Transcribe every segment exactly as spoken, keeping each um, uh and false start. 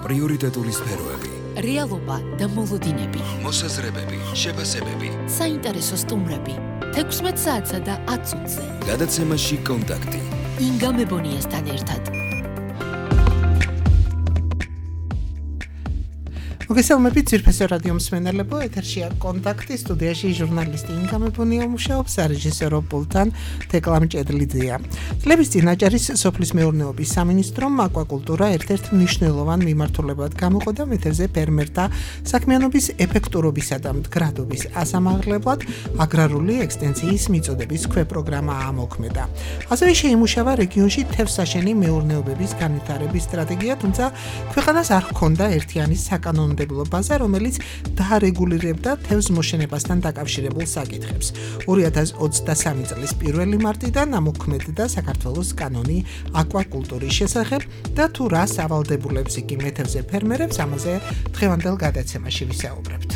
პრიორიტეტული სფეროები, რეალობა და მოლოდინები, მოსაზრებები, შეფასებები, საინტერესო სტუმრები, თექვსმეტ საათსა და ათ წუთზე. გადაცემაში კონტაქტი. ინგა მებონიასთან ერთად. მოგესალმებით ძვირფასო რადიო მსმენელებო, ეთერშია კონტაქტი, სტუდიაში ჟურნალისტი ინგა მებონია მუშაობს, სარეჟისორო პულტთან თეკლამ ჭედლიძეა. წლების წინ აჭარის სოფლის მეურნეობის სამინისტრომ აკვაკულტურა ერთ-ერთ მნიშვნელოვან მიმართულებად გამოყო და მეთევზე ფერმერთა საქმიანობის ეფექტურობისა და მდგრადობის ასამაღლებლად აგრარული ექსტენსიის მიწოდების ქვეპროგრამა ამოქმედა. ასევე შეიმუშავა რეგიონში თევზსაშენი მეურნეობების განვითარების სტრატეგია, თუმცა ქვეყანას არ ჰქონდა ერთიანი საკანონმდებლო ბაზა, რომელიც დაარეგულირებდა თევზ მოშენებასთან დაკავშირებულ საკითხებს. ორი ათას ოცდასამი წლის პირველი მარტიდან ამოქმედდა საქართველოს კანონი აკვაკულტურის შესახებ და თუ რა სავალდებულებს იგი მეთევზე ფერმერებს, ამაზე დღევანდელ გადაცემაში ვისაუბრებთ.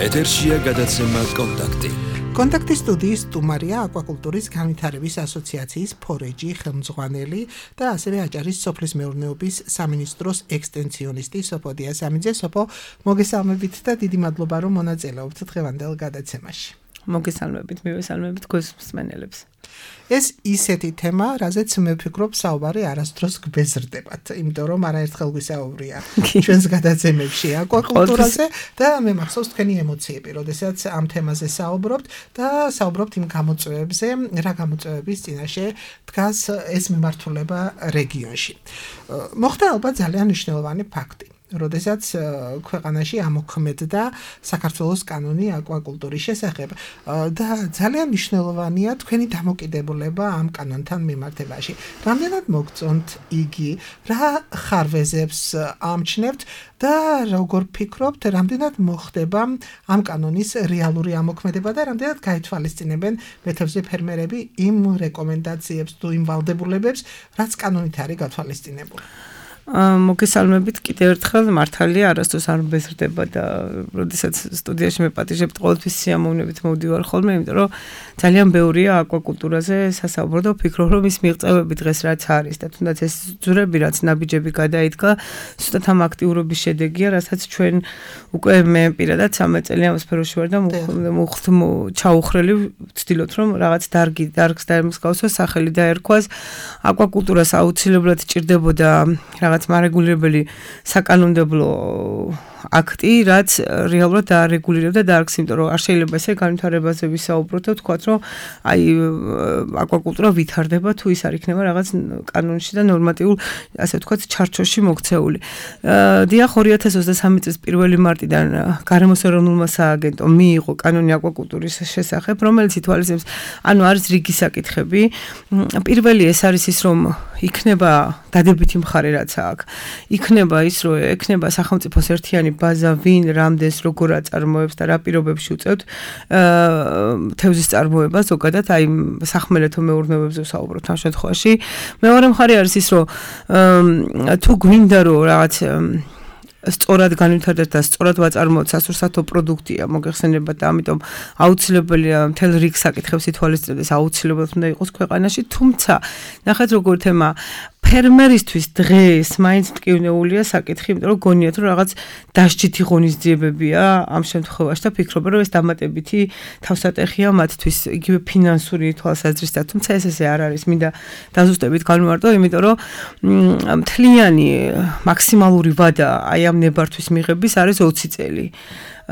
ეთერშია გადაცემა კონტაქტი. კონტაქტის სტუდიის სტუმარია აკვაკულტურის განვითარების ასოციაციის ფორეჯი ხელმძღვანელი და ასევე აჭარის სოფლის მეურნეობის სამინისტროს ექსტენსიონისტი სოფო დიასამიძე. სოფო, მოგესალმებით და დიდი მადლობა რომ მონაწილეობთ დღევანდელ გადაცემაში. მოგესალმებით, მივესალმებით თქვენს მსმენელებს. ეს ისეთი თემა, რაზეც მე ვფიქრობ, საუბარი არასდროს გბეზრდებათ, იმიტომ რომ არაერთხელ გვისაუბრია ჩვენს გადაცემებში აკვაკულტურაზე და მე მახსოვს თქვენი ემოციები, როდესაც ამ თემაზე საუბრობთ და საუბრობთ იმ გამოწვევებზე, რა გამოწვევების წინაშე დგას ეს მიმართულება რეგიონში. მოხდა ალბათ ძალიან მნიშვნელოვანი ფაქტი. როდესაც ქვეყანაში ამოქმედდა საქართველოს კანონი აკვაკულტურის შესახებ და ძალიან მნიშვნელოვანია თქვენი დამოკიდებულება ამ კანონთან მიმართებაში. რამდენად მოგწონთ იგი, რა ხარვეზებს ამჩნევთ და როგორ ფიქრობთ, რამდენად მოხდება ამ კანონის რეალური ამოქმედება და რამდენად გაითვალისწინებენ მეთევზე ფერმერები იმ რეკომენდაციებს თუ იმ ვალდებულებებს, რაც კანონით არის გათვალისწინებული. მოგესალმებით კიდევ ერთხელ, მართალია არასდროს არ მბეზრდება და როდესაც სტუდიაში მე პატიჟებთ ყოველთვის სიამოვნებით მოვდივარ ხოლმე, იმიტომ რომ ძალიან ბევრია აკვაკულტურაზე სასაუბრო და ვფიქრობ, რომ ის მიღწევები დღეს რაც არის და თუნდაც ეს ძვრები რაც ნაბიჯები გადაიდგა, ზუსტად ამ აქტიურობის შედეგია, რასაც ჩვენ უკვე მე პირადად სამი წელი ამ სფეროში ვარ და მუხთ ჩაუხრელი ვცდილობთ, რომ რაღაც დარგი დარგს დაემსგავსოს, სახელი დაერქვას. აკვაკულტურას აუცილებლად ჭირდებოდა რაღაც მარეგულირებელი საკანონმდებლო აქტი, რაც რეალურად დაარეგულირებდა დარგს, იმიტომ რომ არ შეიძლება ესე განვითარებაზე ვისაუბროთ და ვთქვათ, რომ აი აკვაკულტურა ვითარდება თუ ის არ იქნება რაღაც კანონში და ნორმატიულ, ასე ვთქვათ, ჩარჩოში მოქცეული. დიახ, ორი ათას ოცდასამი წლის პირველი მარტიდან გარემოს ეროვნულმა სააგენტომ მიიღო კანონი აკვაკულტურის შესახებ, რომელიც ითვალისწინებს, ანუ არის რიგი საკითხები. პირველი ეს არის ის, რომ იქნება დადებითი მხარე რაც აქვს. იქნება ის, რომ ექნება სახელმწიფოს ერთიანი ბაზა, ვინ, რამდენს, როგორ აწარმოებს და რა პირობებში უწევთ თევზის წარმოებას, ზოგადად აი სახმელეთო მეურნეობებზე ვსაუბრობთ ამ შემთხვევაში. მეორე მხარე არის ის, რომ თუ გვინდა რომ რაღაც სწორად განვითარდეს და სწორად ვაწარმოოთ სასურსათო პროდუქტია მოგეხსენებათ და ამიტომ აუცილებელია მთელ რიგ საკითხებს ითვალისწინებდეს, აუცილებლად უნდა იყოს ქვეყანაში, თუმცა ნახეთ როგორ თემა ფერმერისთვის დღეს მაინც მტკივნეულია საკითხი, იმიტომ რომ გონიათ რომ რაღაც დასჯითი ღონისძიებებია ამ შემთხვევაში და ფიქრობენ რომ ეს დამატებითი თავსატეხია მათთვის იგივე ფინანსური თვალსაზრისით, თუმცა ეს ესე არ არის, მინდა დაზუსტებით განვმარტო, იმიტომ რომ მთლიანი მაქსიმალური ვადა აი ამ ნებართვის მიღების არის ოცი წელი.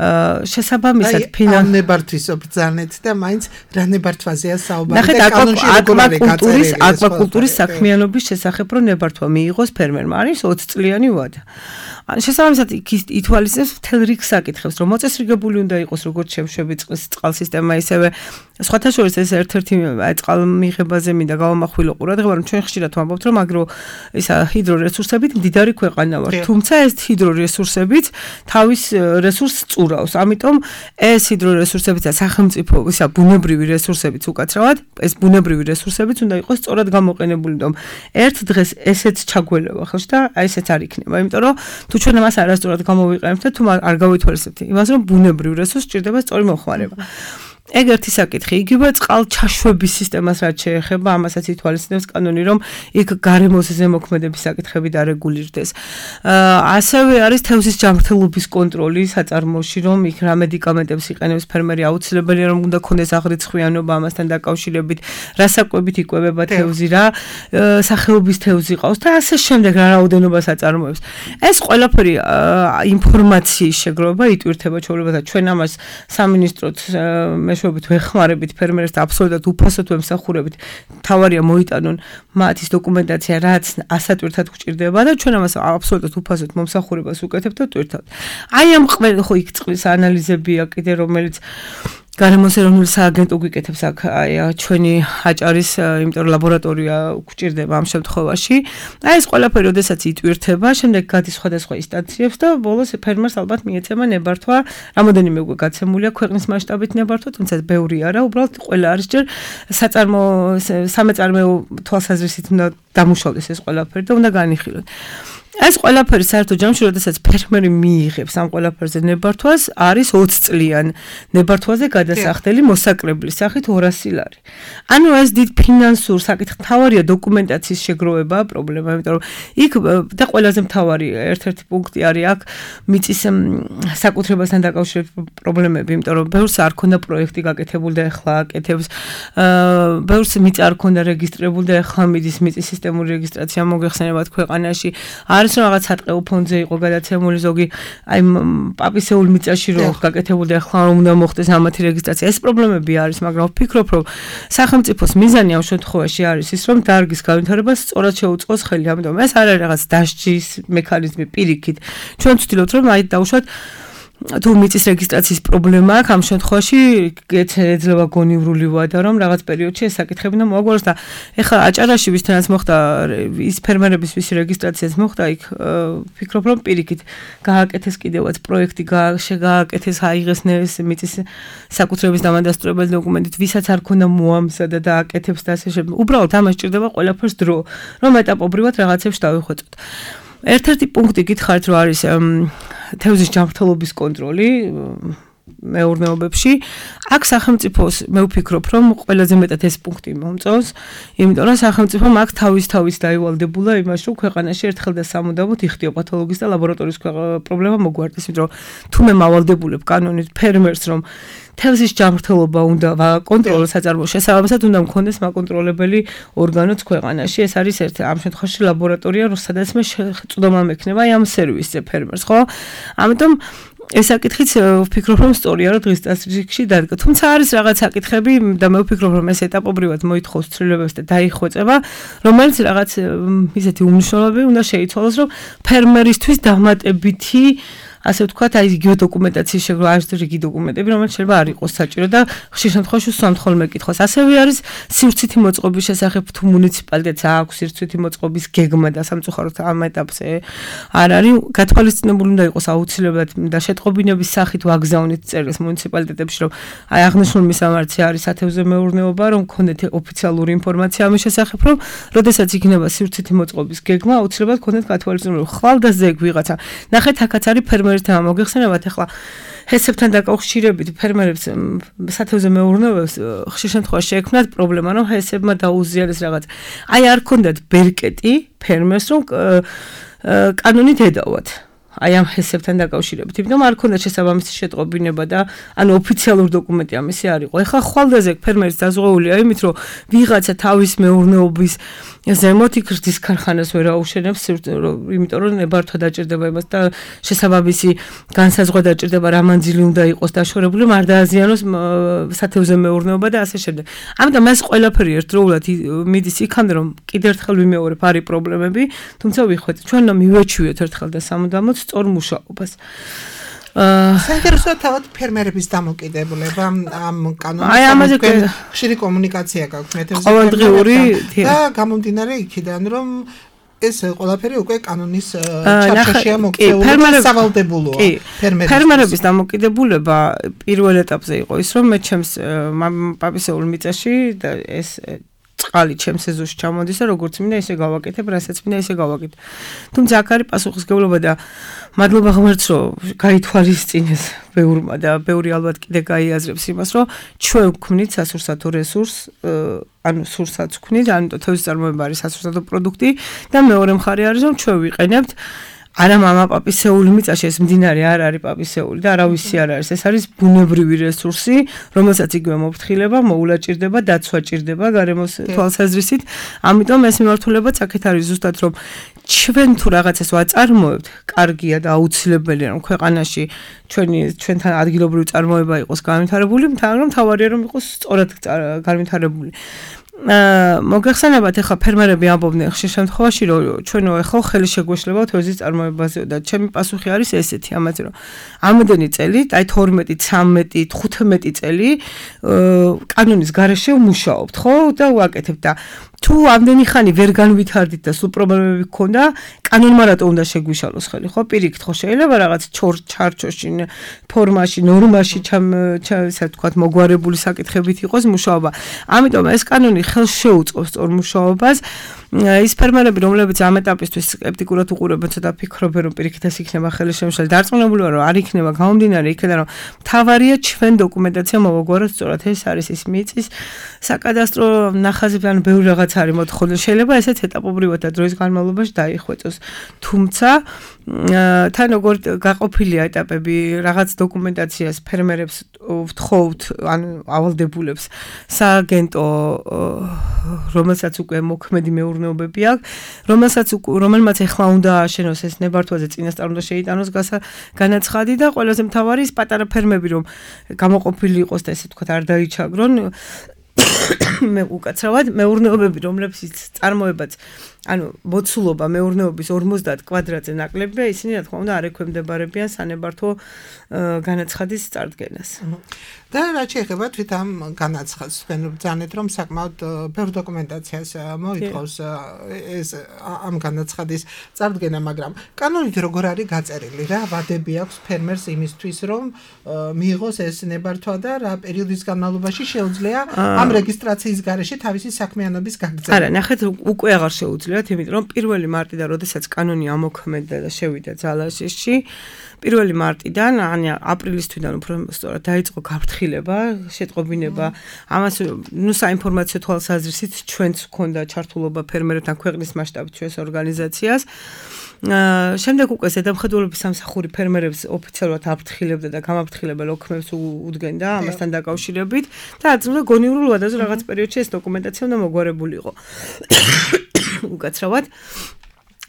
შესაბამისად ფინანს ნებართვის ობრძანეთ და მაინც რა ნებართვაზეა საუბარი და კანონში როგორ არის გაწერილი აკვაკულტურის საქმიანობის შესახებ რომ ნებართვა მიიღოს ფერმერმა არის ოცი წლიანი ვადა. შესაბამისად ითვალისწინებს მთელ რიგ საკითხებს, რომ მოწესრიგებული უნდა იყოს როგორც შემშვები წყლის წყალსისტემა, ისევე სხვათა შორის ეს ერთ-ერთი წყალმიღებაზე მინდა გავამახვილო ყურადღება, რომ ჩვენ ხშირად ვამბობთ, რომ აგრო ისა ჰიდრორესურსებით მდიდარი ქვეყანა ვართ, თუმცა ეს ჰიდრორესურსებით თავის რესურსს წურავს. ამიტომ ეს ჰიდრორესურსებიც და სახელმწიფო ისა ბუნებრივი რესურსებიც უკაცრავად, ეს ბუნებრივი რესურსებიც უნდა იყოს სწორად გამოყენებული, რომ ერთ დღეს ესეც ჩაგველება ხელში და აი ესეც არ იქნება, იმიტომ რომ თუ ჩვენ მას არასწორად გამოვიყენებთ და თუ არ გავითვალისწინებთ იმას, რომ ბუნებრივ რესურსს სჭირდება სწორი მოხმარება. ეგ ერთი საკითხი, იგივე წყალჩაშვების სისტემას რაც შეეხება, ამასაც ითვალისწინებს კანონი, რომ იქ გარემოს ზემოქმედების საკითხები დარეგულირდეს. ასევე არის თევზის ჯანმრთელობის კონტროლი საწარმოში, რომ იქ რა მედიკამენტებს იყენებს ფერმერი, აუცილებელია რომ უნდა ქონდეს აღრიცხვიანობა ამასთან დაკავშირებით, რა საკვებით იკვებება თევზი, რა სახეობის თევზი ყავს და ასე შემდეგ რა რაოდენობა საწარმოებს. ეს ყველაფერი ინფორმაციის შეგროვება იტვირთება ჩვეულებრივად და ჩვენ ამას სამინისტროც მეშვეობით ვეხმარებით ფერმერებს და აბსოლუტურად უფასოდ ვემსახურებით. თავარია მოიტანონ მათის დოკუმენტაცია, რაც ასატვირთად გვჭირდება და ჩვენ ამას აბსოლუტურად უფასოდ მომსახურებას უკეთებთ და ტვირთავთ. აი ამ ყველა ხო იქ წყლის ანალიზებია კიდე რომელიც გარემოს ეროვნული სააგენტო გვიკეთებს აქ აი ჩვენი აჭარის იმიტომ ლაბორატორია გვჭირდება ამ შემთხვევაში. აი ეს ყველაფერი ოდესაც იტვირთება, შემდეგ გადის სხვადასხვა ინსტანციებს და ბოლოს ფერმერს ალბათ მიეცემა ნებართვა, რამოდენიმე უკვე გაცემულია ქვეყნის მასშტაბით ნებართვა, თუმცა ბევრი არა, უბრალოდ ყველა არის ჯერ საწარმო სამეწარმეო თვალსაზრისით უნდა დამუშავდეს ეს ყველაფერი და უნდა განიხილოთ. ეს ყველაფერი საერთო ჯამში, როდესაც ფერმერი მიიღებს ამ ყველაფერზე ნებართვას, არის ოცი წლიან ნებართვაზე გადასახდელი მოსაკრებლის სახით ორასი ლარი. ანუ ეს დიდ ფინანსურ საკითხ თავარია დოკუმენტაციის შეგროვება პრობლემა, იმიტომ რომ იქ და ყველაზე მთავარი ერთ-ერთი პუნქტი არის აქ მიწის საკუთრებასთან დაკავშირებული პრობლემები, იმიტომ რომ ბევრს არ ქონდა პროექტი გაკეთებული და ეხლა აკეთებს, ბევრს მიწა არ ქონდა რეგისტრირებული და ეხლა მიდის მიწის სისტემური რეგისტრაცია მოგეხსენებათ ქვეყანაში. არის რომ რაღაც სატყეო ფონდზე იყო გადაცემული ზოგი აი პაპისეულ მიწაში რომ გაკეთებული და ახლა რომ უნდა მოხდეს ამათი რეგისტრაცია. ეს პრობლემები არის, მაგრამ ვფიქრობ, რომ სახელმწიფოს მიზანი ამ შემთხვევაში არის ის, რომ დარგის განვითარებას სწორად შეუწყოს ხელი. ამიტომ ეს არ არის რაღაც დასჯის მექანიზმი პირიქით. ჩვენ ვცდილობთ, რომ აი დავუშვათ თუ მიწის რეგისტრაციის პრობლემა აქვს ამ შემთხვევაში ეძლევა გონივრული ვადა რომ რაღაც პერიოდში ეს საკითხები უნდა მოაგვაროს და ეხლა აჭარაში ვისთანაც მოხდა ის ფერმერების ვისი რეგისტრაციაც მოხდა იქ ვფიქრობ რომ პირიქით გააკეთეს კიდევაც პროექტი გააკეთეს აიღეს მიწის საკუთრების დამადასტურებელი დოკუმენტით ვისაც არ ქონდა მოამზადა და აკეთებს და ასე შემდეგ უბრალოდ ამას ჭირდება ყველაფერს დრო რომ ეტაპობრივად რაღაცებს დავიხვეწოთ. ერთ-ერთი პუნქტი გითხარით რომ არის თევზის ჯანმრთელობის კონტროლი მეურნეობებში. აქ სახელმწიფოს მე ვფიქრობ, რომ ყველაზე მეტად ეს პუნქტი მომწონს, იმიტომ რომ სახელმწიფომ აქ თავის თავის დაივალდებულა იმაში, რომ ქვეყანაში ერთხელ და სამუდამოდ იხდიო პათოლოგიის და ლაბორატორიის პრობლემა მოგვარდეს, იმიტომ რომ თუ მე მავალდებულებ კანონით ფერმერს, რომ თევზის ჯანმრთელობა უნდა კონტროლოს საწარმოო შესაბამისად უნდა მქონდეს მაკონტროლებელი ორგანოც ქვეყანაში. ეს არის ერთ ამ შემთხვევაში ლაბორატორია, სადაც მე წვდომა მექნება ამ სერვისზე ფერმერს, ხო? ამიტომ ეს საკითხიც ვფიქრობ, რომ სწორია, რომ დღის წესრიგში დადგა. თუმცა არის რაღაც საკითხები და მე ვფიქრობ, რომ ეს ეტაპობრივად მოითხოვს ცვლილებებს და დაიხვეწება, რომელიც რაღაც ისეთი უმნიშვნელოები უნდა შეიცვალოს, რომ ფერმერისთვის დამატებითი ასე ვთქვათ, აი იგივე დოკუმენტაციის შეგროვა, არის რიგი დოკუმენტები, რომელიც შეიძლება არ იყოს საჭირო და ხშირ შემთხვევაში სამდხოლმე კითხოს. ასევე არის სივრცითი მოწყობის შესახებ თუ მუნიციპალიტეტს აქვს სივრცითი მოწყობის გეგმა და სამწუხაროდ ამ ეტაპზე არ არის გათვალისწინებული უნდა იყოს აუცილებლად და შეტყობინების სახით ვაგზავნით წერილს მუნიციპალიტეტებში, რომ აი აღნიშნული მისამართი არის სათევზე მეურნეობა, რომ გქონდეთ ოფიციალური ინფორმაცია ამის შესახებ, რომ როდესაც იქნება სივრცითი მოწყობის გეგმა, აუცილებლად გქონდეთ გათვალისწინებული. ხვალ და ზეგ ვიღაცა. ნახეთ, აქაც არის ფერმერთა მოგეხსენებათ ახლა ჰესებთან დაკავშირებით ფერმერებს სათევზე მეურნეობებს ხშირ შემთხვევაში შეექმნათ პრობლემა, რომ ჰესებმა დაუზიარეს რაღაც. აი არ ქონდათ ბერკეტი ფერმერს, რომ კანონით ედავათ. აი ამ ჰესებთან დაკავშირებით, იმიტომ არ ქონდა შესაბამისი შეტყობინება და ანუ ოფიციალური დოკუმენტი ამისი არ იყო. ეხლა ხვალდაზე ფერმერის დაზღვეულია იმით, რომ ვიღაცა თავის მეურნეობის ზემოთ იქრდის ქარხანას ვერ აუშენებს, იმიტომ რომ ნებართვა დაჭირდება იმას და შესაბამისი განსაზღვრა დაჭირდება რა მანძილი უნდა იყოს დაშორებული, არ დააზიანოს სათევზე მეურნეობა და ასე შემდეგ. ამიტომ ეს ყველაფერი ერთდროულად მიდის იქამდე, რომ კიდევ ერთხელ ვიმეორებ, არის პრობლემები, თუმცა ვიხვეწ, ჩვენ უნდა მივეჩვიოთ ერთხელ და სამუდამოდ სწორ მუშაობას. საინტერესოა თავად ფერმერების დამოკიდებულება ამ კანონის ხშირი კომუნიკაცია გაქვთ ყოველდღიური და გამომდინარე იქიდან რომ ეს ყველაფერი უკვე კანონის ჩარჩოშია მოქცეული სავალდებულოა ფერმერების დამოკიდებულება პირველ ეტაპზე იყო ის რომ მე ჩემს პაპისეულ მიწაში და ეს წყალი ჩემს ეზოში ჩამოდის და როგორც მინდა ისე გავაკეთებ, რასაც მინდა ისე გავაკეთებ. თუმცა აქ არის პასუხისგებლობა და მადლობა ღმერთს, რომ გაითვალისწინეს ბევრმა და ბევრი ალბათ კიდე გაიაზრებს იმას, რომ ჩვენ გვქმნით სასურსათო რესურსს, ანუ სურსაც გვქმნით, ანუ თევზის წარმოება არის სასურსათო პროდუქტი და მეორე მხარე არის, რომ ჩვენ ვიყენებთ არა мама პაპისეული მიწაში ეს მდინარე არ არის პაპისეული და არავისი არ არის. ეს არის ბუნებრივი რესურსი, რომელსაც იგივე მოფრთხილება, მოულა ჭირდება, დაცვა ჭირდება გარემოს თვალსაზრისით. ამიტომ ეს მიმართულებაც აქეთ არის ზუსტად რომ ჩვენ თუ რაღაცას ვაწარმოებთ, კარგია და აუცილებელია რომ ქვეყანაში ჩვენი ჩვენთან ადგილობრივი წარმოება იყოს განვითარებული, მაგრამ თავარია რომ იყოს სწორად განვითარებული. მოგეხსენებათ ახლა ფერმერები ამბობდნენ ხშირ შემთხვევაში რომ ჩვენო ახლა ხელი შეგვეშლება თევზის წარმოებაზე და ჩემი პასუხი არის ესეთი ამაზე რომ ამდენი წელი აი თორმეტი ცამეტი თხუთმეტი წელი კანონის გარეშე ვმუშაობთ ხო და ვაკეთებთ და თუ ამდენი ხანი ვერ განვითარდით და სულ პრობლემები გქონდა კანონმა რატო უნდა შეგვიშალოს ხელი ხო პირიქით ხო შეიძლება რაღაც ჩარჩოში ფორმაში ნორმაში ჩამ ესე ვთქვათ მოგვარებული საკითხებით იყოს მუშაობა ამიტომ ეს კანონი ხელს შეუწყობს სწორ მუშაობას ის ფერმერები რომლებიც ამ ეტაპისთვის სკეპტიკურად უყურებენ ცოტა ფიქრობენ რომ პირიქით ეს იქნება ხელშემშალი დარწმუნებული ვარ რომ არ იქნება გამომდინარე იქიდან რომ თავარია ჩვენ დოკუმენტაცია მოვაგვაროთ სწორად ეს არის ის მიწის საკადასტრო ნახაზებთან ბევრი რაღაც არის მოთხოვნა შეიძლება ესეც ეტაპობრივად და დროის განმავლობაში დაიხვეწოს თუმცა თან როგორ გაყოფილია ეტაპები რაღაც დოკუმენტაციას ფერმერებს ვთხოვთ ან ავალდებულებს სააგენტო რომელსაც უკვე მოქმედი მეურნეობები აქვს რომელსაც რომელმაც ეხლა უნდა ააშენოს ეს ნებართვაზე წინასწარ უნდა შეიტანოს განაცხადი და ყველაზე მთავარი ის პატარა ფერმები რომ გამოყოფილი იყოს და ესე ვთქვათ არ დაიჩაგრონ მე უკაცრავად მეურნეობები რომლებიც წარმოებაც ანუ მოცულობა მეურნეობის ორმოცდაათ კვადრატზე ნაკლებია ისინი რა თქმა უნდა არ ექვემდებარებიან სანებართვო განაცხადის წარდგენას და რა შეიძლება თვით ამ განაცხადს თქვენ ბრძანეთ რომ საკმაოდ ბევრ დოკუმენტაციას მოითხოვს ეს ამ განაცხადის წარდგენა მაგრამ კანონით როგორ არის გაწერილი რა ვადები აქვს ფერმერს იმისთვის რომ მიიღოს ეს ნებართვა და რა პერიოდის განმავლობაში შეუძლია ამ რეგისტრაციის გარეშე თავისი საქმიანობის გაგრძელება არა ნახეთ უკვე აღარ შეუძლიათ იმიტომ რომ პირველი მარტიდან როდესაც კანონი ამოქმედდა და შევიდა ძალაშეში პირველი მარტიდან ან აპრილის თვიდან უფრო სწორად დაიწყო გაფრთხილება, შეტყობინება. ამას ნუ საინფორმაციო თვალსაზრისით ჩვენც გქონდა ჩართულობა ფერმერებთან ქვეყნის მასშტაბით ჩვენს ორგანიზაციას. შემდეგ უკვე ზედამხედველობის სამსახური ფერმერებს ოფიციალურად აფრთხილებდა და გამაფრთხილებელ ოქმებს უდგენდა ამასთან დაკავშირებით და აწმდა გონიურულ ვადაზე რაღაც პერიოდში ეს დოკუმენტაცია უნდა მოგვარებული იყო. უკაცრავად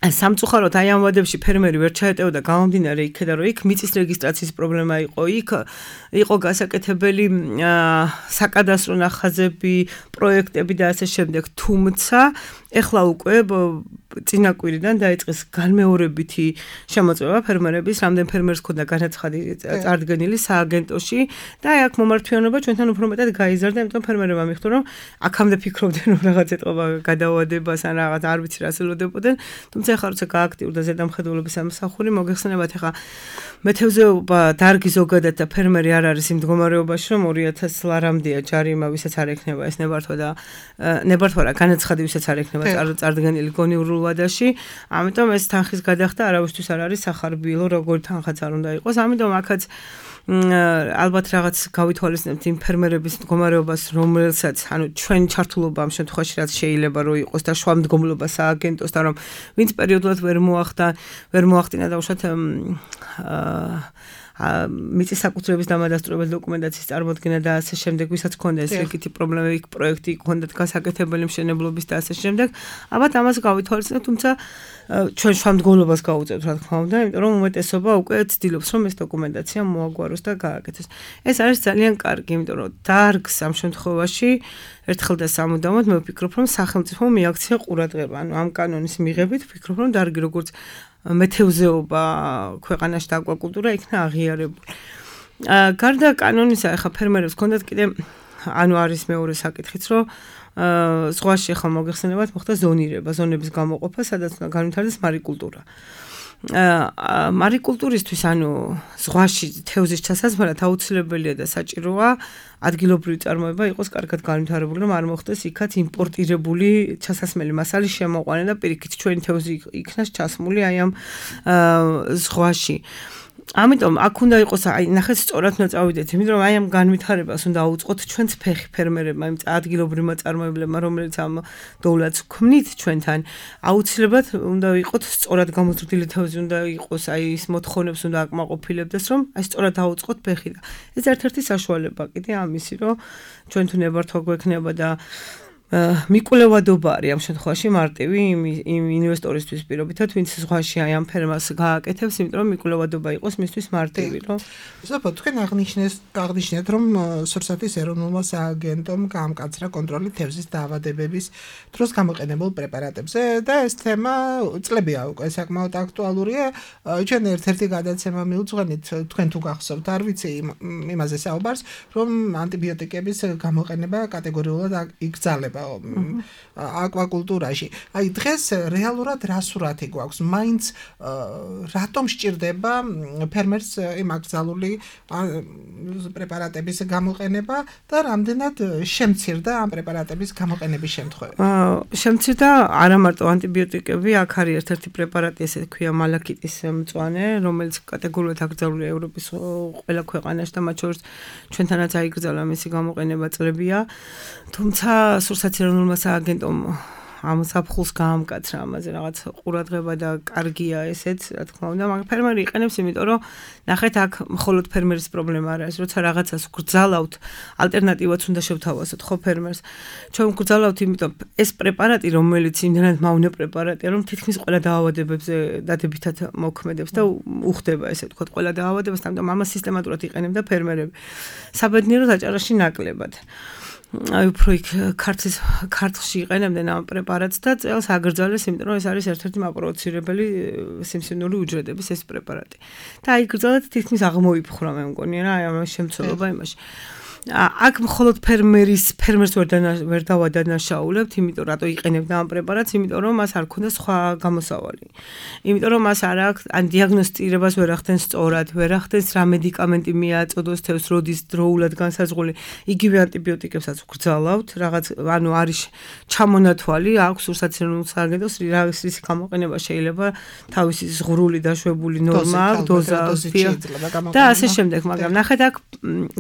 სამწუხაროდ აი ამ ვადებში ფერმერი ვერ ჩაეტეოდა გამომდინარე იქიდან რომ იქ მიწის რეგისტრაციის პრობლემა იყო იქ იყო გასაკეთებელი საკადასტრო ნახაზები პროექტები და ასე შემდეგ თუმცა ეხლა უკვე წინაკვირიდან დაიწყეს განმეორებითი შემოწმება ფერმერების რამდენ ფერმერს ქონდა განაცხადი წარდგენილი სააგენტოში და აი აქ მომართვიანობა ჩვენთან უფრო მეტად გაიზარდა იმიტომ ფერმერებმა მიხვდა რომ აქამდე ფიქრობდნენ რომ რაღაც ეტყობა გადავადებას ან რაღაც არ ვიცი რას ელოდებოდნენ თუმცა ეხლა როცა გააქტიურდა ზედამხედველობის სამსახური მოგეხსენებათ ეხლა მეთევზეობა დარგი ზოგადად და ფერმერი არ არის იმ მდგომარეობაში რომ ორი ათას ლარამდეა ჯარიმა ვისაც არ ექნება ეს ნებართვა და ნებართვა რა განაცხადი ვისაც არ ექნება წარდგენილი გონიურულ ვადაში ამიტომ ეს თანხის გადახდა არავისთვის არ არის სახარბიელო როგორი თანხაც არ უნდა იყოს ამიტომ აქაც ალბათ რაღაც გავითვალისწინებთ იმ ფერმერების მდგომარეობას რომელსაც ანუ ჩვენ ჩართულობა ამ შემთხვევაში რაც შეიძლება რომ იყოს და შუამდგომლობა სააგენტოს და რომ ვინც პერიოდულად ვერ მოახდა ვერ მოახდინა და უშუალოდ მიწის საკუთრების დამადასტურებელი დოკუმენტაციის წარმოდგენა და ასე შემდეგ, ვისაც ქონდა ეს რიგითი პრობლემები, პროექტი ქონდათ გასაკეთებელი მშენებლობის და ასე შემდეგ. ალბათ ამას გავითვალისწინებთ, თუმცა ჩვენ შუამდგომლობას გავუწევთ, რა თქმა უნდა, იმიტომ რომ უმეტესობა უკვე ცდილობს, რომ ეს დოკუმენტაცია მოაგვაროს და გააკეთოს. ეს არის ძალიან კარგი, იმიტომ რომ დარგს ამ შემთხვევაში ერთხელ და სამუდამოდ მე ვფიქრობ, რომ სახელმწიფო მიაქცია ყურადღება, ანუ ამ კანონის მიღებით ვფიქრობ, რომ დარგი როგორც მეთევზეობა ქვეყანაში და აკვაკულტურა იქნა აღიარებული. გარდა კანონისა, ახლა ფერმერებს ჰქონდათ კიდე ანუ არის მეორე საკითხიც, რომ ზღვაში ახლა მოგეხსენებათ, მოხდა ზონირება, ზონების გამოყოფა, სადაც განვითარდეს მარიკულტურა. მარიკულტურისთვის, ანუ ზღვაში თევზის ჩასაზმარად აუცილებელია და საჭიროა ადგილობრივი წარმოება იყოს კარგად განვითარებული, რომ არ მოხდეს იქაც იმპორტირებული ჩასასმელი მასალის შემოყვანა და პირიქით ჩვენი თევზი იქნას ჩასმული აი ამ ზღვაში. ამიტომ აქ უნდა იყოს აი ნახეთ სწორად უნდა წავიდეთ, იმიტომ რომ აი ამ განვითარებას უნდა აუწყოთ ჩვენც ფეხი ფერმერებმა, იმ ადგილობრივმა წარმოებლებმა, რომელიც ამ დოვლათს ქმნით ჩვენთან. აუცილებლად უნდა იყოთ სწორად გამოზრდილი თევზი, უნდა იყოს აი ის მოთხოვნებს უნდა აკმაყოფილებდეს, რომ აი სწორად აუწყოთ ფეხი და ეს ერთ-ერთი საშუალება კიდე ამისი, რომ ჩვენ თუ ნებართვა გვექნება და მიკვლევადობა არის ამ შემთხვევაში მარტივი იმ ინვესტორისთვის პირობითად, ვინც ზღვაში აი ამ ფერმას გააკეთებს, იმიტომ რომ მიკვლევადობა იყოს მისთვის მარტივი, რომ ზოგადად თქვენ აღნიშნეს აღნიშნეთ, რომ სურსათის ეროვნულმა სააგენტომ გაამკაცრა კონტროლი თევზის დაავადებების დროს გამოყენებულ პრეპარატებზე და ეს თემა წლებია უკვე საკმაოდ აქტუალურია. ჩვენ ერთ-ერთი გადაცემა მიუძღვენით, თქვენ თუ გახსოვთ, არ ვიცი იმაზე საუბარს, რომ ანტიბიოტიკების გამოყენება კატეგორიულად იკრძალება აკვაკულტურაში. აი დღეს რეალურად რა სურათი გვაქვს? მაინც რატომ სჭირდება ფერმერს იმ აკრძალული პრეპარატების გამოყენება და რამდენად შემცირდა ამ პრეპარატების გამოყენების შემთხვევები? შემცირდა არა მარტო ანტიბიოტიკები, აქ არის ერთ-ერთი პრეპარატი, ესე ქვია მალაკიტის მწვანე, რომელიც კატეგორიულად აკრძალულია ევროპის ყველა ქვეყანაში და მათ შორის ჩვენთანაც აიკრძალა მისი გამოყენება წლებია. თუმცა სურსათ ეროვნულმა სააგენტომ ამ საფხულს გაამკაცრა ამაზე რაღაც ყურადღება და კარგია ესეც, რა თქმა უნდა, მაგრამ ფერმერი იყენებს, იმიტომ რომ ნახეთ აქ მხოლოდ ფერმერის პრობლემა არ არის, როცა რაღაცას გრძალავთ, ალტერნატივაც უნდა შევთავაზოთ ხო ფერმერს. ჩვენ გრძალავთ, იმიტომ ეს პრეპარატი, რომელიც იმდენად მავნე პრეპარატია, რომ თითქმის ყველა დაავადებებზე დადებითად მოქმედებს და უხდება ესე ვთქვათ, ყველა დაავადებას, ამიტომ ამას სისტემატურად იყენებდა ფერმერები. საბედნიეროდ აჭარაში ნაკლებად. აი უფრო იქ ქართლის ქართლში იყენებდნენ ამ პრეპარატს და წელს აგრძალეს, იმიტომ რომ ეს არის ერთ-ერთი მაპროვოცირებელი სიმსივნური უჯრედების ეს პრეპარატი. და აი გრძალეთ თითქმის აღმოიფხვრა მე მგონი რა აი ამ შემცველობა იმაში. აქ მხოლოდ ფერმერის ფერმერს ვერ ვერ დავადანაშაულებთ, იმიტომ რატო იყენებდა ამ პრეპარატს, იმიტომ რომ მას არ ქონდა სხვა გამოსავალი. იმიტომ რომ მას არ აქვს ან დიაგნოსტირებას ვერ ახდენს სწორად, ვერ ახდენს რა მედიკამენტი მიაწოდოს თევზს, როდის დროულად განსაზღვრული. იგივე ანტიბიოტიკებსაც გრძალავთ, რაღაც ანუ არის ჩამონათვალი, აქვს სურსათის ეროვნულ სააგენტოს რისი გამოყენება შეიძლება თავისი ზღვრული დაშვებული ნორმა, დოზა და ასე შემდეგ, მაგრამ ნახეთ აქ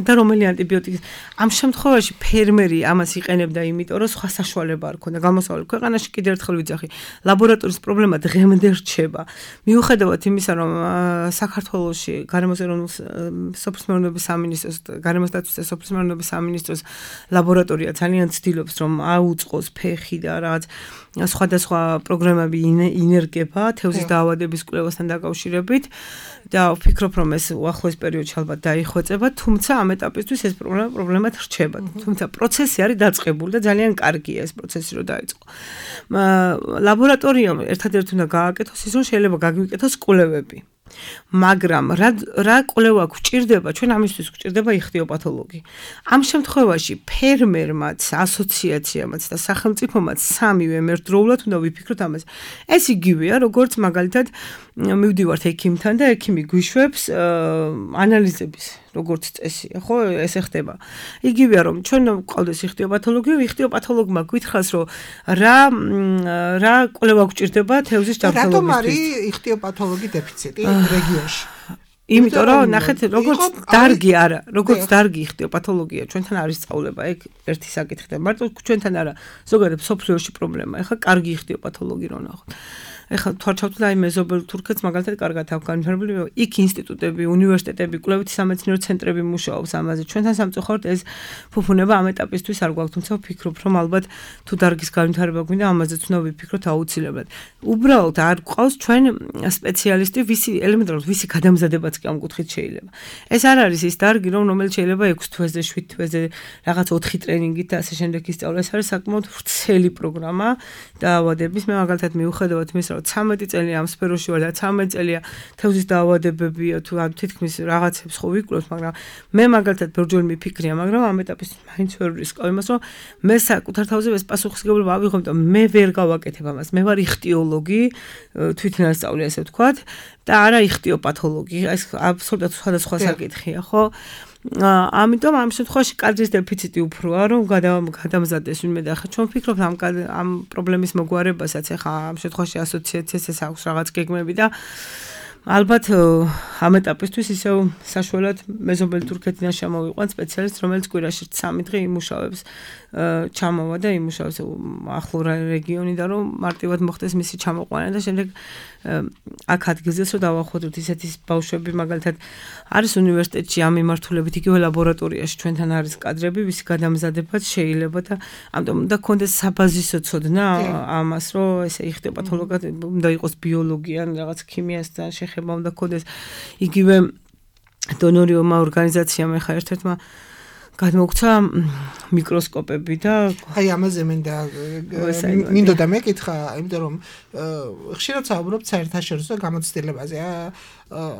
და რომელი ანტიბიოტიკი ამ შემთხვევაში ფერმერი ამას იყენებდა, იმიტომ რომ სხვა საშუალება არ ქონდა გამოსავალი. ქვეყანაში კიდევ ერთხელ ვიძახი, ლაბორატორიის პრობლემა დღემდე რჩება. მიუხედავად იმისა, რომ საქართველოში გარემოს ეროვნულ სოფლის მეურნეობის სამინისტროს, გარემოს დაცვის და სოფლის მეურნეობის სამინისტროს ლაბორატორია ძალიან ცდილობს, რომ აუწყოს ფეხი და რაღაც სხვადასხვა პროგრამები ინერგება თევზის დაავადების კვლევასთან დაკავშირებით და ვფიქრობ, რომ ეს უახლოეს პერიოდში ალბათ დაიხვეწება, თუმცა ამ ეტაპისთვის ეს პრობლემა პრობლემად რჩება. თუმცა პროცესი არის დაწყებული და ძალიან კარგია ეს პროცესი რომ დაიწყო. ლაბორატორიამ ერთადერთი უნდა გააკეთოს ის, რომ შეიძლება გაგვიკეთოს კვლევები. მაგრამ რა რა კვლევა გვჭირდება, ჩვენ ამისთვის გვჭირდება იხთიოპათოლოგი. ამ შემთხვევაში ფერმერმაც, ასოციაციამაც და სახელმწიფომაც სამივე ერთდროულად უნდა ვიფიქროთ ამაზე. ეს იგივეა, როგორც მაგალითად მივდივართ ექიმთან და ექიმი გვიშვებს ანალიზების როგორც წესია, ხო, ესე ხდება. იგივეა, რომ ჩვენ გვყავდეს იხთიოპათოლოგი, იხთიოპათოლოგმა გითხრას, რომ რა რა კვლევა გვჭირდება თევზის ჯანმრთელობისთვის. რატომ არის იხთიოპათოლოგი დეფიციტი რეგიონში? იმიტომ რომ ნახეთ, როგორც დარგი არა, როგორც დარგი იხთიოპათოლოგია, ჩვენთან არის სწავლება, ეგ ერთი საკითხი და მარტო ჩვენთან არა, ზოგადად სოფლიოში პრობლემა. ეხლა კარგი იხთიოპათოლოგი რო ნახოთ. ეხლა თვალჩავთ აი მეზობელ თურქეთს მაგალითად კარგად აქვს განვითარებული, იქ ინსტიტუტები, უნივერსიტეტები, კვლევითი სამეცნიერო ცენტრები მუშაობს ამაზე. ჩვენთან სამწუხაროდ ეს ფუფუნება ამ ეტაპისთვის არ გვაქვს, თუმცა ვფიქრობ, რომ ალბათ თუ დარგის განვითარება გვინდა, ამაზეც უნდა ვიფიქროთ აუცილებლად. უბრალოდ არ გვყავს ჩვენ სპეციალისტი, ვისი ელემენტარულად ვისი გადამზადებაც კი ამ კუთხით შეიძლება. ეს არ არის ის დარგი, რომ რომელიც შეიძლება ექვსი თვეზე, შვიდ თვეზე, რაღაც ოთხი ტრენინგით და ასე შემდეგ ისწავლა. ეს არის საკმაოდ ვრცელი პროგრამა დაავადების. მე მაგალითად მიუხედავად იმისა, რომ რომ ცამეტი წელი ამ სფეროში ვარ და ცამეტი წელია თევზის დაავადებებია თუ თითქმის რაღაცებს ხო ვიკვლევთ, მაგრამ მე მაგალითად ბევრჯერ მიფიქრია, მაგრამ ამ ეტაპის მაინც ვერ ვისკავ იმას, რომ მე საკუთარ თავზე ეს პასუხისმგებლობა ავიღო, იმიტომ მე ვერ გავაკეთებ ამას. მე ვარ იხტიოლოგი, თვითნასწავლი ასე ვთქვათ და არა იხტიოპათოლოგი. ეს აბსოლუტურად სხვადასხვა საკითხია, ხო? ამიტომ ამ შემთხვევაში კადრის დეფიციტი უფროა, რომ გადამზადდეს ვინმე და ხა ჩვენ ვფიქრობთ ამ ამ პრობლემის მოგვარებასაც ახლა ამ შემთხვევაში ასოციაციასაც აქვს რაღაც გეგმები და ალბათ ამ ეტაპისთვის ისევ საშუალად მეზობელი თურქეთიდან შემოვიყვან სპეციალისტ, რომელიც კვირაში სამი დღე იმუშავებს, ჩამოვა და იმუშავებს ახლო რეგიონიდან, რომ მარტივად მოხდეს მისი ჩამოყვანა და შემდეგ აქ ადგილზეც რომ დავახვედროთ ისეთი ბავშვები, მაგალითად არის უნივერსიტეტში ამ მიმართულებით იგივე ლაბორატორიაში ჩვენთან არის კადრები, ვისი გადამზადებაც შეიძლება და ამიტომ უნდა გქონდეს საბაზისო ცოდნა ამას, რომ ესე იხტიოპათოლოგად უნდა იყოს ბიოლოგია, რაღაც ქიმიასთან შეხება უნდა გქონდეს. იგივე დონორიომა ორგანიზაციამ ეხა ერთ-ერთმა გადმოგცა მიკროსკოპები და აი ამაზე მინდა მინდოდა მეკითხა, იმიტომ რომ ხშირად საუბრობთ საერთაშორისო გამოცდილებაზე.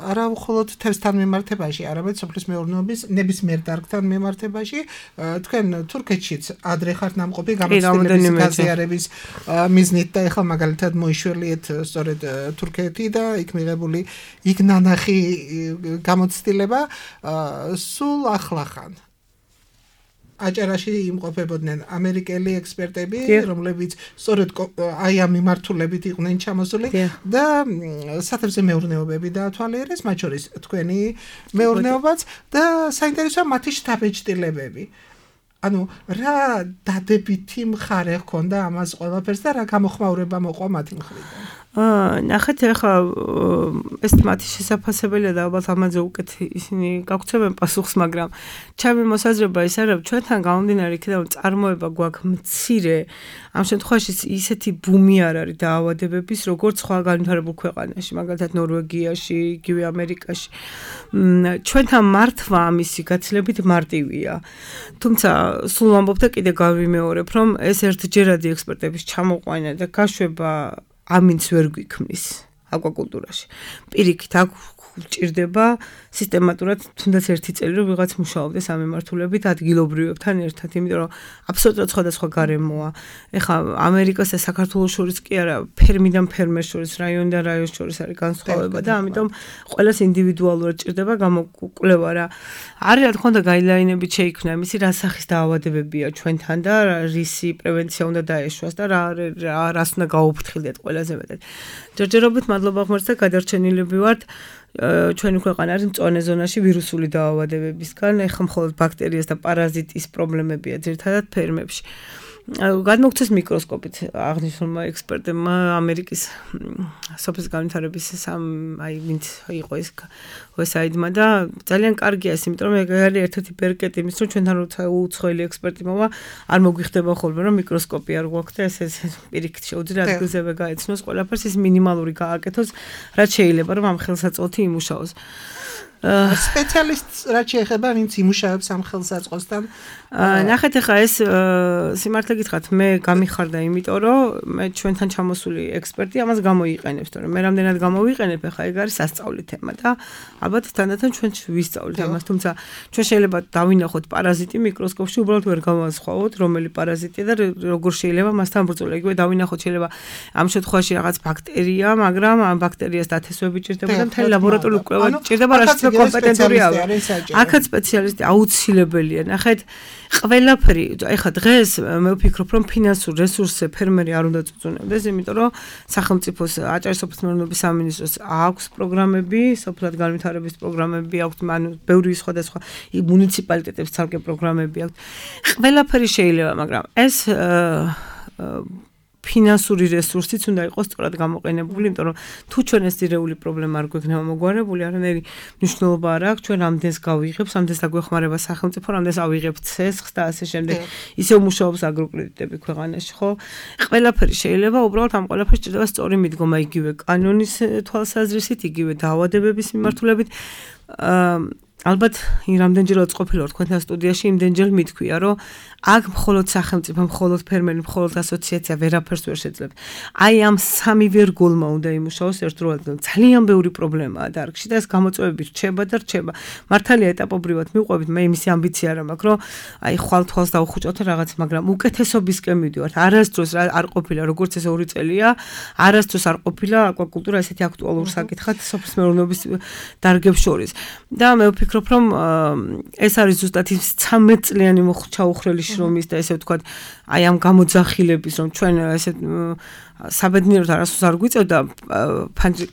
არა მხოლოდ თევზთან მიმართებაში, არამედ სოფლის მეურნეობის ნებისმიერ დარგთან მიმართებაში. თქვენ თურქეთშიც ადრე ხართ ნამყოფი გამოცდილების გაზიარების მიზნით და ეხლა მაგალითად მოიშველიეთ სწორედ თურქეთი და იქ მიღებული იქ ნანახი გამოცდილება სულ ახლახან. აჭარაში იმყოფებოდნენ ამერიკელი ექსპერტები, რომლებიც სწორედ აი ამ მიმართულებით იყვნენ ჩამოსული და სათევზე მეურნეობები დაათვალიერეს, მათ შორის თქვენი მეურნეობაც და საინტერესოა მათი შთაბეჭდილებები. ანუ რა დადებითი მხარე ჰქონდა ამას ყველაფერს და რა გამოხმაურება მოყვა მათი მხრიდან? აა ნახეთ ახლა ეს მათი შესაძლებელია და ალბათ ამაზე უკეთ ისინი გაგცემენ პასუხს, მაგრამ ჩემი მოსაზრება ის არის, რომ ჩვენთან გამომდინარე იქიდან წარმოება გვაქვს მცირე, ამ შემთხვევაში ისეთი ბუმი არ არის დაავადებების, როგორც სხვა განვითარებულ ქვეყანაში, მაგალითად ნორვეგიაში, იგივე ამერიკაში. ჩვენთან მართვა ამისი გაცილებით მარტივია. თუმცა სულ ვამბობ და კიდე გავიმეორებ, რომ ეს ერთჯერადი ექსპერტების ჩამოყვანა და გაშვება ამინც ვერ გვიქმნის აკვაკულტურაში. პირიქით აქ ჭირდება სისტემატურად თუნდაც ერთი წელი რომ ვიღაც მუშაობდეს ამ მიმართულებით ადგილობრივებთან ერთად, იმიტომ რომ აბსოლუტურად სხვადასხვა გარემოა. ეხლა ამერიკას და საქართველოს შორის კი არა, ფერმიდან ფერმერს შორის, რაიონიდან რაიონს შორის არის განსხვავება და ამიტომ ყველას ინდივიდუალურად ჭირდება გამოკვლევა რა. არის რა თქმა უნდა გაიდლაინებით შეიქმნა იმისი რა სახის დაავადებებია ჩვენთან და რისი პრევენცია უნდა დაეშვას და რა რას უნდა გაუფრთხილდეთ ყველაზე მეტად. ჯერჯერობით მადლობა ღმერთს და გადარჩენილები ვართ. ჩვენი ქვეყანა არის მწვანე ზონაში ვირუსული დაავადებებისგან, ეხლა მხოლოდ ბაქტერიას და პარაზიტის პრობლემებია ძირითადად ფერმებში. გადმოგცეს მიკროსკოპით აღნიშნულმა ექსპერტებმა ამერიკის სოფლის განვითარების სამ აი ვინც იყო ეს ვესაიდმა და ძალიან კარგია ეს, იმიტომ რომ ეგ არის ერთ-ერთი ბერკეტი იმის, რომ ჩვენთან როცა უცხოელი ექსპერტი მოვა, არ მოგვიხდება ხოლმე რომ მიკროსკოპი არ გვაქვს და ეს ეს პირიქით შეუძლია ადგილზევე გაეცნოს ყველაფერს, ის მინიმალური გააკეთოს, რაც შეიძლება რომ ამ ხელსაწყოთი იმუშაოს. სპეციალისტს რაც შეეხება, ვინც იმუშავებს ამ ხელსაწყოსთან. ნახეთ ახლა ეს სიმართლე გითხრათ, მე გამიხარდა, იმიტომ რომ მე ჩვენთან ჩამოსული ექსპერტი ამას გამოიყენებს, თორემ მე რამდენად გამოვიყენებ, ახლა ეგ არის სასწაული თემა და ალბათ თანდათან ჩვენ ვისწავლით ამას, თუმცა ჩვენ შეიძლება დავინახოთ პარაზიტი მიკროსკოპში, უბრალოდ ვერ გავასხვაოთ, რომელი პარაზიტია და როგორ შეიძლება მასთან ბრძოლა. იგივე დავინახოთ შეიძლება ამ შემთხვევაში რაღაც ბაქტერია, მაგრამ ამ ბაქტერიას დათესვები ჭირდება და მთელი ლაბორატორიული კვლევა ჭირდება, რაც კომპეტენტურია. აქაც სპეციალისტი აუცილებელია. ნახეთ, ყველაფერი, ეხლა დღეს მე ვფიქრობ, რომ ფინანსურ რესურსზე ფერმერი არ უნდა წუწუნებდეს, იმიტომ რომ სახელმწიფოს აჭარის სოფლის მეურნეობის სამინისტროს აქვს პროგრამები, სოფლად განვითარების პროგრამები აქვს, ანუ ბევრი სხვადასხვა მუნიციპალიტეტებს ცალკე პროგრამები აქვს. ყველაფერი შეიძლება, მაგრამ ეს ფინანსური რესურსიც უნდა იყოს სწორად გამოყენებული, იმიტომ რომ თუ ჩვენ ეს ძირეული პრობლემა არ გვექნება მოგვარებული, არანაირი მნიშვნელობა არ აქვს, ჩვენ რამდენს გავიღებთ, რამდენს დაგვეხმარება სახელმწიფო, რამდენს ავიღებთ ცესხს და ასე შემდეგ. ისევ მუშაობს აგროკრედიტები ქვეყანაში, ხო? ყველაფერი შეიძლება, უბრალოდ ამ ყველაფერს ჭირდება სწორი მიდგომა, იგივე კანონის თვალსაზრისით, იგივე დაავადებების მიმართულებით. ალბათ, რამდენჯერაც ყოფილა თქვენთან სტუდიაში, იმდენჯერ მithქვია, რომ აქ მხოლოდ სახელმწიფო, მხოლოდ ფერმერი, მხოლოდ ასოციაცია ვერაფერს ვერ შეძლებს. აი ამ სამი ვერგულმა უნდა იმუშაოს ერთდროულად. ძალიან ბევრი პრობლემაა დარგში და ეს გამოწვევები რჩება და რჩება. მართალია ეტაპობრივად მივყვებით, მე იმისი ამბიცია არ მაქვს, რომ აი ხვალ თვალს დავუხუჭოთ რაღაც, მაგრამ უკეთესობისკენ მივდივართ. არასდროს არ ყოფილა როგორც ეს ორი წელია, არასდროს არ ყოფილა აკვაკულტურა ესეთი აქტუალური საკითხად სოფლის მეურნეობის დარგებს შორის. და მე ვფიქრობ, რომ ეს არის ზუსტად ის ცამეტ წლიანი ჩაუხრელი შრომის და ესე ვთქვათ, აი ამ გამოძახილების, რომ ჩვენ ესე საბედნიეროდ არასდროს არ გვიწევდა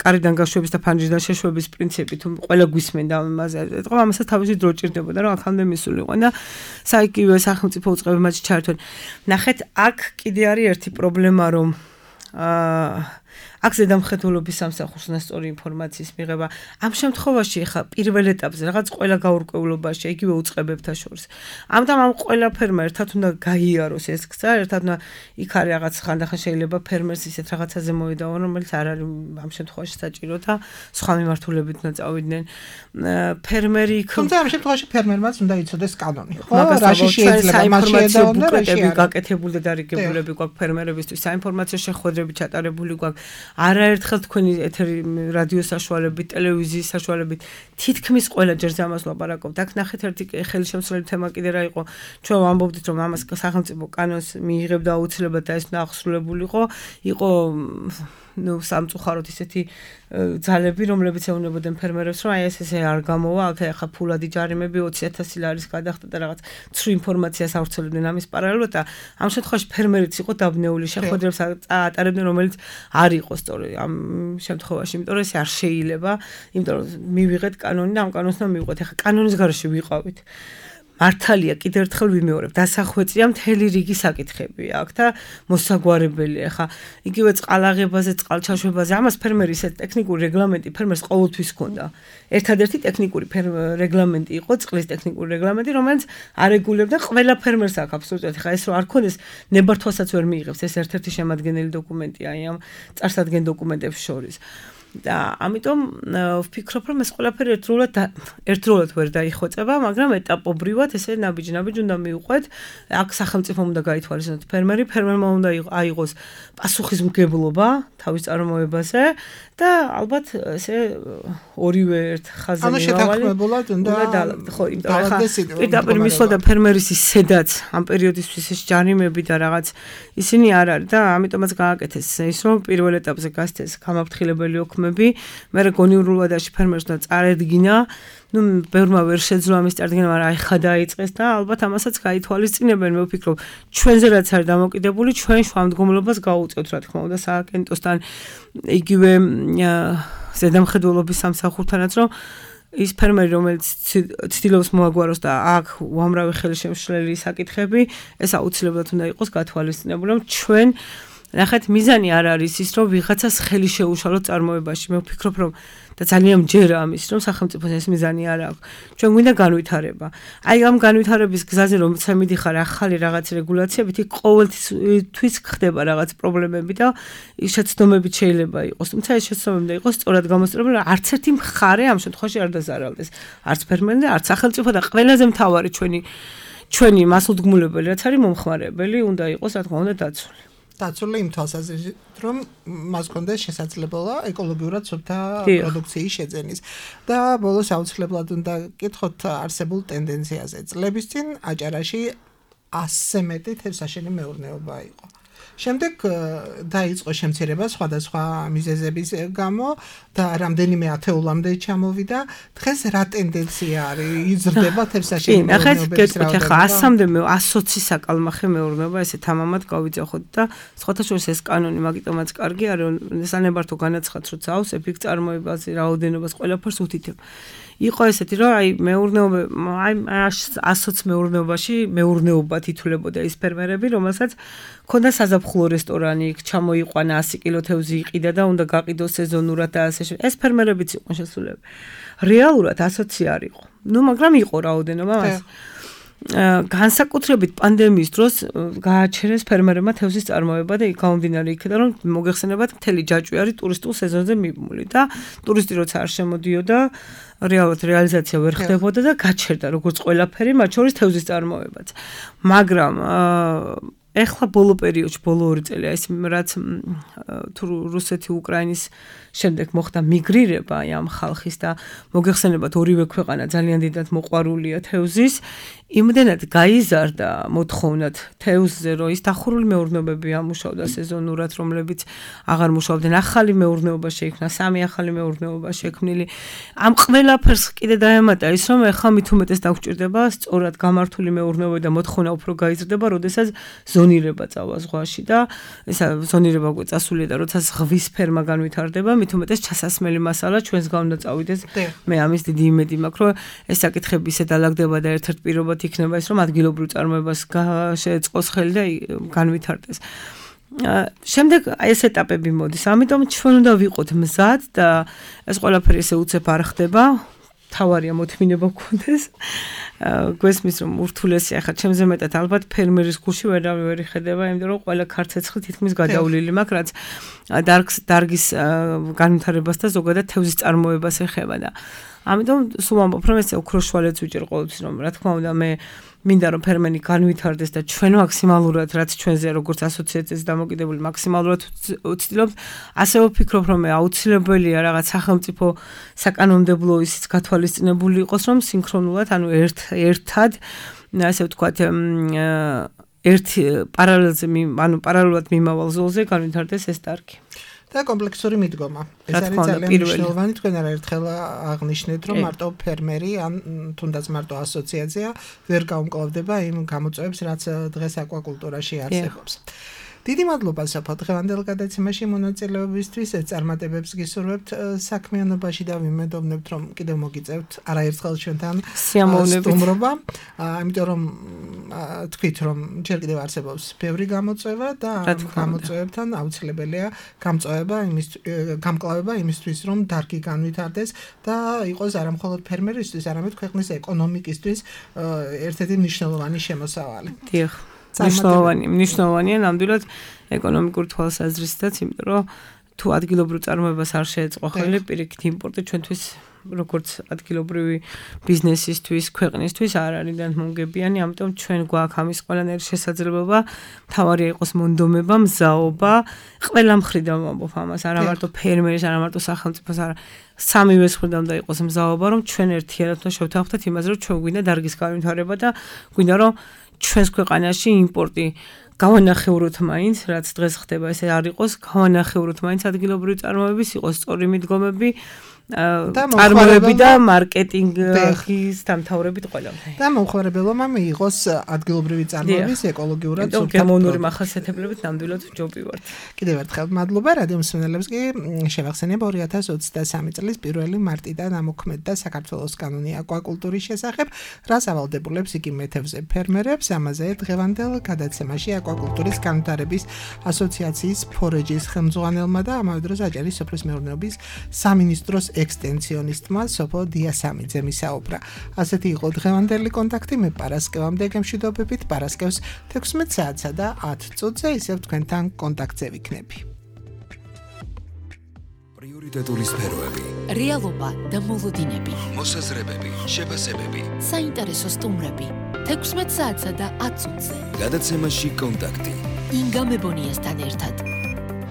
კარიდან გაშვების და ფანჯრიდან შეშვების პრინციპი, თუ ყველა გვისმენდა ამაზე. ეტყობა ამასაც თავისი დრო ჭირდებოდა, რომ აქამდე მისულიყო და საიქივე სახელმწიფო უწყებებმაც ჩაერთვენ. ნახეთ, აქ კიდე არის ერთი პრობლემა, რომ აა აქ ზედამხედველობის სამსახურს ნასწორი ინფორმაციის მიღება. ამ შემთხვევაში ხა პირველ ეტაპზე რაღაც ყველა გაურკვევლობაში, იგივე უწყებებთან შორის. ამიტომ ამ ყველა ფერმა ერთად უნდა გაიაროს ეს გზა, ერთად უნდა იქ არის რაღაც ხანდახან შეიძლება ფერმერს ისეთ რაღაცაზე მოედავონ, რომელიც არ არის ამ შემთხვევაში საჭირო და სხვა მიმართულებით უნდა წავიდნენ. ფერმერი იქ თუმცა ამ შემთხვევაში ფერმერმაც უნდა იცოდეს კანონი. ხო, რაში შეიძლება მასშეედაო და რაში არ. გაკეთებული და დარიგებულები გვაქვს ფერმერებისთვის, საინფორმაციო შეხვედრები ჩატარებული გვაქვს. არაერთხელ თქვენი ეთერი რადიო საშუალებით, ტელევიზიის საშუალებით თითქმის ყველა ჯერზე ამას ლაპარაკობთ. აქ ნახეთ ერთი ხელშემცვლელი თემა კიდე რა იყო. ჩვენ ვამბობდით, რომ ამას სახელმწიფო კანონს მიიღებდა აუცილებლად და ეს უნდა აღსრულებულიყო. იყო ნუ სამწუხაროდ ისეთი ძალები, რომლებიც ეუბნებოდნენ ფერმერებს, რომ აი ეს ესე არ გამოვა, აქ ახლა ფულადი ჯარიმები ოცი ათასი ლარის გადახდა და რაღაც ცრუ ინფორმაციას ავრცელებდნენ ამის პარალელურად და ამ შემთხვევაში ფერმერიც იყო დაბნეული, შეხვედრებს ატარებდნენ, რომელიც არ იყო სწორი ამ შემთხვევაში, იმიტომ რომ ეს არ შეიძლება, იმიტომ რომ მივიღეთ კანონი და ამ კანონს უნდა მივიღოთ. ახლა კანონის გარეშე ვიყავით. მართალია, კიდევ ერთხელ ვიმეორებ, დასახვეწია მთელი რიგი საკითხები აქ და მოსაგვარებელია. ხა იგივე წყალაღებაზე, წყალჩაშვებაზე, ამას ფერმერი ისეთ ტექნიკური რეგლამენტი ფერმერს ყოველთვის ჰქონდა. ერთადერთი ტექნიკური რეგლამენტი იყო წყლის ტექნიკური რეგლამენტი, რომელიც არეგულირებდა ყველა ფერმერს აქ აბსოლუტურად. ხა ეს რო არ ქონდეს, ნებართვასაც ვერ მიიღებს, ეს ერთ-ერთი შემადგენელი დოკუმენტია აი ამ წარსადგენ დოკუმენტებს შორის. და ამიტომ ვფიქრობ, რომ ეს ყველაფერი ერთდროულად ერთდროულად ვერ დაიხვეწება, მაგრამ ეტაპობრივად ესე ნაბიჯ-ნაბიჯ უნდა მივყვეთ. აქ სახელმწიფომ უნდა გაითვალისწინოს ფერმერი, ფერმერმა უნდა აიღოს პასუხისმგებლობა თავის წარმოებაზე და ალბათ ესე ორივე ერთ ხაზზე მივავალი. ანუ შეთანხმებულად უნდა ხო, იმიტომ რომ პირდაპირ მისვლა და ფერმერის ისედაც ამ პერიოდისთვის ეს ჯარიმები და რაღაც ისინი არ არის და ამიტომაც გააკეთეს ის, რომ პირველ ეტაპზე გასცეს გამაფრთხილებელი ოქმები, მერე გონიურულადაში ფერმერს უნდა წარედგინა, ნუ ბევრმა ვერ შეძლო ამის წარდგენა, მაგრამ აი ხა დაიწყეს და ალბათ ამასაც გაითვალისწინებენ, მე ვფიქრობ, ჩვენზე რაც არის დამოკიდებული, ჩვენ შუამდგომლობას გაუწევთ, რა თქმა უნდა, სააგენტოსთან, იგივე ზედამხედველობის სამსახურთანაც, რომ ის ფერმერი, რომელიც ცდილობს მოაგვაროს და აქ უამრავი ხელშემშლელი საკითხები, ეს აუცილებლად უნდა იყოს გათვალისწინებული, რომ ჩვენ ნახეთ, მიზანი არ არის ის, რომ ვიღაცას ხელი შეუშალოთ წარმოებაში. მე ვფიქრობ, რომ და ძალიან მჯერა ამის, რომ სახელმწიფოს ეს მიზანი არ აქვს. ჩვენ გვინდა განვითარება. აი ამ განვითარების გზაზე, რომ მიდიხარ ახალი რაღაც რეგულაციებით, იქ ყოველთვის ხდება რაღაც პრობლემები და შეცდომებით შეიძლება იყოს. თუმცა ეს შეცდომები უნდა იყოს სწორად გამოსწორებული, რომ არც ერთი მხარე ამ შემთხვევაში არ დაზარალდეს. არც ფერმერი და არც სახელმწიფო და ყველაზე მთავარი ჩვენი ჩვენი მასულდგმულებელი, რაც არის მომხმარებელი, უნდა იყოს, რა თქმა უნდა, დაცული. დაცული იმ თვალსაზრისით, რომ მას კონდეს შესაძლებლობა ეკოლოგიურად სუფთა პროდუქციის შეძენის. და ბოლოს აუცილებლად უნდა კითხოთ არსებულ ტენდენციაზე. წლების წინ აჭარაში ასზე მეტი თევზსაშენი მეურნეობა იყო. შემდეგ დაიწყო შემცირება სხვადასხვა მიზეზების გამო და რამდენიმე ათეულამდე ჩამოვიდა. დღეს რა ტენდენცია არის? იზრდება თევზსაშენი მეურნეობის რაოდენობა? ახლა ასამდე ასოცი საკალმახე მეურნეობა ესე თამამად გავიძახოთ და სხვათა შორის ეს კანონი მაგიტომაც კარგი არის, რომ სანებართო განაცხადს, რომ წავს ეფექტ წარმოებაზე, რაოდენობას ყველაფერს უთითებ. იყო ესეთი, რომ აი მეურნეობა, აი ასოც მეურნეობაში მეურნეობა თითულებოდა ის ფერმერები, რომელსაც ქონდა საზაფხულო რესტორანი, იქ ჩამოიყვანა ასი კილო თევზი იყიდა და უნდა გაყიდოს სეზონურად და ასე შემდეგ. ეს ფერმერებიც იყვნენ შესულები. რეალურად ასოც არ იყო. ნუ მაგრამ იყო რაოდენობა მას. განსაკუთრებით პანდემიის დროს გააჩერეს ფერმერებმა თევზის წარმოება და გამომდინარე იქიდან რომ მოგეხსენებათ მთელი ჯაჭვი არის ტურისტულ სეზონზე მიმული და ტურისტი როცა არ შემოდიოდა რეალურად რეალიზაცია ვერ ხდებოდა და გაჩერდა როგორც ყველაფერი მათ შორის თევზის წარმოებაც მაგრამ ეხლა ბოლო პერიოდში ბოლო ორი წელია ის რაც თუ რუსეთი უკრაინის შემდეგ მოხდა მიგრირება ამ ხალხის და მოგეხსენებათ ორივე ქვეყანა ძალიან დიდად მოყვარულია თევზის იმდენად გაიზარდა მოთხოვნად თევზზე რომ ის დახურული მეურნეობები ამუშავდა სეზონურად რომლებიც აღარ მუშაობდნენ ახალი მეურნეობა შეიქმნა სამი ახალი მეურნეობა შექმნილი ამ ყველაფერს კიდე დაემატა ის რომ ეხლა მით უმეტეს დაგვჭირდება სწორად გამართული მეურნეობა და მოთხოვნა უფრო გაიზრდება როდესაც ზონირება წავა ზღვაში და ესა ზონირება გვეწასულია და როცა ზღვის ფერმა განვითარდება მით უმეტეს ჩასასმელი მასალა ჩვენს გავნდა წავიდეს მე ამის დიდი იმედი მაქვს რომ ეს საკითხები ისე დალაგდება და ერთ-ერთ პირობად იქნება ის რომ ადგილობრივ წარმოებას შეეწყოს ხელი და განვითარდეს შემდეგ აი ეს ეტაპები მოდის ამიტომ ჩვენ უნდა ვიყოთ მზად და ეს ყველაფერი ესე უცებ არ ხდება თავარია მოთმინება გქონდეს გვესმის რომ ურთულესი ახლა ჩემზე მეტად ალბათ ფერმერის გულში ვერავინ ვერ იხედება იმიტომ რომ ყველა ქარცეცხლი თითქმის გადავლილი მაქვს რაც დარგს დარგის განვითარებას და ზოგადად თევზის წარმოებას ეხება და ამიტომ სულ ამბობ რომ ეს ოქროს შვალეც ვიჭერ ყოველთვის რომ რა თქმა უნდა მე მინდა რომ ფერმერი განვითარდეს და ჩვენ მაქსიმალურად რაც ჩვენზე როგორც ასოციაციაზე დამოკიდებული მაქსიმალურად ვცდილობთ ასე ვფიქრობ რომ მე აუცილებელია რაღაც სახელმწიფო საკანონმდებლო ისიც გათვალისწინებული იყოს რომ სინქრონულად ანუ ერთ ერთად ასე ვთქვათ ერთი პარალელზე ანუ პარალელურად მიმავალ ზოლზე განვითარდეს ეს დარგი და კომპლექსური მიდგომა. ეს არის ძალიან მნიშვნელოვანი. თქვენ არაერთხელ აღნიშნეთ, რომ მარტო ფერმერი ან თუნდაც მარტო ასოციაცია ვერ გაუმკლავდება იმ გამოწვევებს, რაც დღეს აკვაკულტურაში არსებობს. დიდი მადლობა საფო დღევანდელ გადაცემაში მონაწილეობისთვის. წარმატებებს გისურვებთ საქმიანობაში და ვიმედოვნებთ, რომ კიდევ მოგიწევთ არაერთხელ ჩვენთან სტუმრობა. ამიტომ რომ თქვით, რომ ჯერ კიდევ არსებობს ბევრი გამოწვევა და ამ გამოწვევებთან აუცილებელია გამწვევა იმის გამკლავება იმისთვის, რომ დარგი განვითარდეს და იყოს არა მხოლოდ ფერმერისთვის, არამედ ქვეყნის ეკონომიკისთვის ერთ-ერთი მნიშვნელოვანი შემოსავალი. დიახ. მნიშვნელოვანი, მნიშვნელოვანია ნამდვილად ეკონომიკურ თვალსაზრისითაც, იმიტომ რომ თუ ადგილობრივ წარმოებას არ შეეწყო ხელი პირიქით იმპორტი ჩვენთვის როგორც ადგილობრივი ბიზნესისთვის, ქვეყნისთვის არ არის მომგებიანი, ამიტომ ჩვენ გვაქვს ამის ყველანაირი შესაძლებლობა, თავარია იყოს მონდომება, მზაობა, ყველა მხრიდან ვამბობ ამას, არა მარტო ფერმერის, არა მარტო სახელმწიფოს, არა სამივე მხრიდან უნდა იყოს მზაობა, რომ ჩვენ ერთიანად უნდა შევთანხმდეთ იმაზე, რომ ჩვენ გვინდა დარგის განვითარება და გვინდა რომ ჩვენს ქვეყანაში იმპორტი გავანახევროთ მაინც, რაც დღეს ხდება, ესე არ იყოს, გავანახევროთ მაინც ადგილობრივი წარმოების, იყოს სწორი მიდგომები, წარმოებები და მარკეტინგის დამთავრებით ყველა. და მომხმარებელმა მიიღოს ადგილობრივი წარმოების ეკოლოგიურად სუფთა გემოვნური მახასიათებლებით ნამდვილად ჯობი ვართ. კიდევ ერთხელ მადლობა რადიო მსმენელებს კი შევახსენებ ორი ათას ოცდასამი წლის პირველი მარტიდან ამოქმედდა საქართველოს კანონი აკვაკულტურის შესახებ, რაც ავალდებულებს იგი მეთევზე ფერმერებს, ამაზე დღევანდელ გადაცემაში აკვაკულტურის განვითარების ასოციაციის ფორეჯის ხელმძღვანელმა და ამავე დროს აჭარის სოფლის მეურნეობის სამინისტროს ექსტენსიონისტმა სოფო დიასამიძემ ისაუბრა. ასეთი იყო დღევანდელი კონტაქტი. მე პარასკევამდე გემშვიდობებით, პარასკევს თექვსმეტ საათსა და ათ წუთზე ისევ თქვენთან კონტაქტზე ვიქნები. პრიორიტეტული სფეროები, რეალობა და მოლოდინები, მოსაზრებები, შეფასებები, საინტერესო სტუმრები, თექვსმეტ საათსა და ათ წუთზე. გადაცემაში კონტაქტი. ინგა მებონიასთან ერთად.